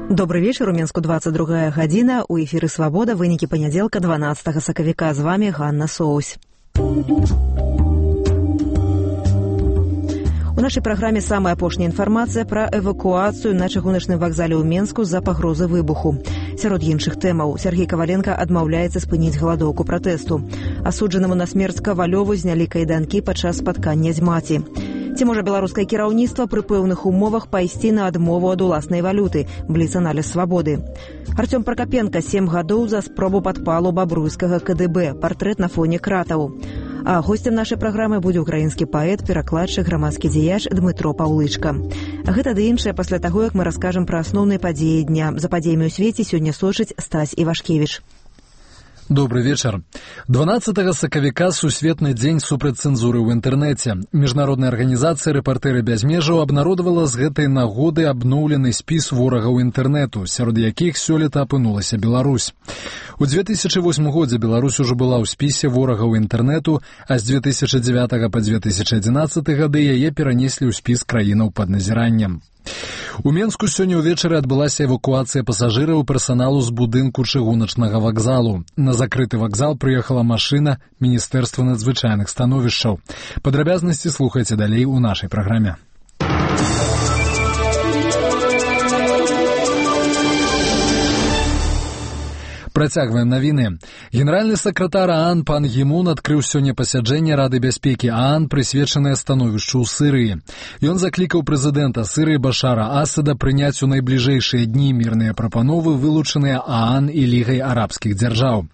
Добрый вечер, у Мінску 22 гадзіна, у эфіры «Свабода», вынікі панядзелка 12 сакавіка. З вами Ганна Соусь. У нашай праграме самая апошняя інфармацыя пра эвакуацыю на чыгуначным вакзале ў Мінску з-за пагрозы выбуху. Сярод іншых тэмаў Сергей Каваленка адмаўляецца спыніць галадоўку пратэсту. Асуджанаму на смерць Кавалёву знялі кайданкі падчас спаткання з маці. Ці можа беларускае кіраўніцтва пры пэўных умовах пайсці на адмову ад уласнай валюты? Бліц-аналіз «Свабоды». Артём Пракапенка 7 гадоў за спробу падпалу бабруйскага КДБ. Партрэт на фоне кратаў. А гостем нашай праграмы будзе украінскі паэт, перакладчык, грамадскі дзеяч Дмытро Паўлычка. Гэта ды іншае пасля таго, як мы раскажам пра асноўныя падзеі дня. За падзеямі ў свеце сёння сочыць Стась Івашкевіч. Добрый вечер. 12 сакавіка сусветны дзень супраць цэнзуры ў інтэрнэце. Міжнародная арганізацыя «Рэпартэры без межаў» абнародавала з гэтай нагоды абноўлены спіс ворагаў інтэрнэту, сярод якіх сёлета апынулася Беларусь. У 2008 годзе Беларусь ужо была ў спісе ворагаў інтэрнэту, а з 2009 па 2011 гады яе перанеслі ў спіс краінаў пад назіраннем. У Мінску сёння ўвечары адбылася эвакуацыя пасажыраў і персаналу з будынку чыгуначнага вакзалу. На закрыты вакзал прыехала машына Міністэрства надзвычайных становішчаў. Падрабязнасці слухайце далей у нашай праграме. Працягваем навіны. Генеральны сакратар ААН пан Гімун адкрыў сёння пасяджэнне Рады бяспекі ААН, прысвечанае становішчу ў Сырыі. Ён заклікаў прэзідэнта Сырыі Башара Асада прыняць у найбліжэйшыя дні мірныя прапановы, вылучаныя ААН і Лігай арабскіх дзяржаў.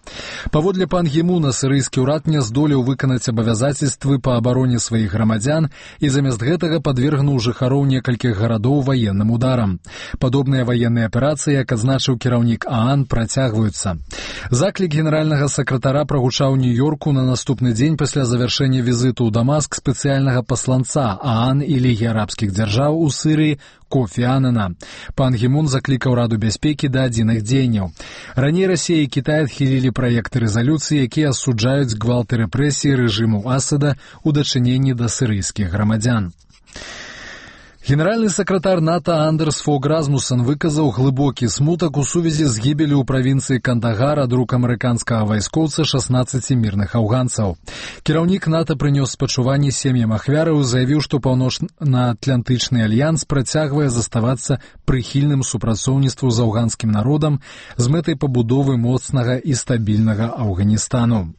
Паводле пан Гімуна, сырыйскі ўрад не здолеў выканаць абавязацельствы па абароне сваіх грамадзян і замест гэтага падвергнуў жыхароў некалькіх гарадоў ваенным ударам. Падобныя ваенныя аперацыі, як адзначыў кіраўнік ААН, працягваюцца. Заклік генеральнага сакратара прагучаў у Нью-Йорку на наступны дзень пасля завяршэння візіту ў Дамаск спецыяльнага пасланца ААН і Лігі арабскіх дзяржаў у Сырыі Кофі Анана. Пан Гімун заклікаў Раду бяспекі да адзіных дзеянняў. Раней Расія і Кітай адхілілі праекты рэзалюцыі, якія асуджаюць гвалт і рэпрэсіі рэжыму Асада ў дачыненні да сырыйскіх грамадзян. Генеральны сакратар НАТО Андерс Фог Расмуссен выказаў глыбокі смутак у сувязі з гібелю ў правінцыі Кандагар ад рук амерыканскага вайскоўца 16 мірных афганцаў. Кіраўнік НАТО прынёс спачуванні сем'ям ахвяраў і заявіў, што Паўночна-Атлантычны альянс працягвае заставацца прыхільным супрацоўніцтву з афганскім народам з мэтай пабудовы моцнага і стабільнага Афганістану.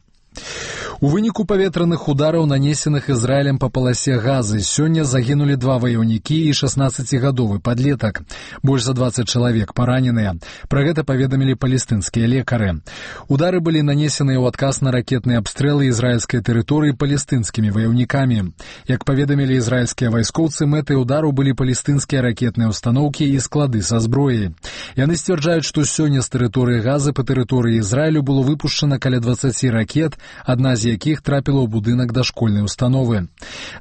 У выніку паветраных удараў, нанесеных Ізраілем па паласе Газы, сёння загінулі 2 ваяўнікі і 16-гадовы падлетак. Больш за 20 чалавек параненыя. Пра гэта паведамілі палестынскія лекары. Удары былі нанесеныя ў адказ на ракетныя абстрэлы ізраільскай тэрыторыі палестынскімі ваяўнікамі. Як паведамілі ізраільскія вайскоўцы, мэтай удару былі палестынскія ракетныя ўстаноўкі і склады са зброяй. Яны сцвярджаюць, што сёння з тэрыторыі Газы па тэрыторыі Ізраілю было выпушчана каля 20 ракет, адна з якіх трапіла ў будынак дашкольнай установы.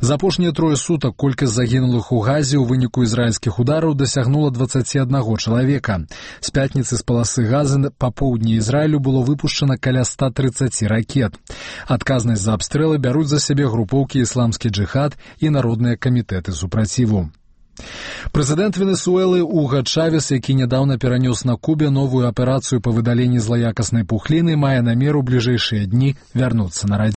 За апошнія 3 сутак колькасць загінулых у Газе ў выніку ізраільскіх удараў дасягнула 21 чалавека. З пятніцы з паласы Газы па поўдні Ізраілю было выпушчана каля 130 ракет. Адказнасць за абстрэлы бяруць за сябе групоўкі «Ісламскі джыхад» і народныя камітэты супраціву. Прэзідэнт Венесуэлы Уга Чавес, які нядаўна перанёс на Кубе новую аперацыю па выдаленні злаякаснай пухліны, мае намер у бліжэйшыя дні вярнуцца на радзіму.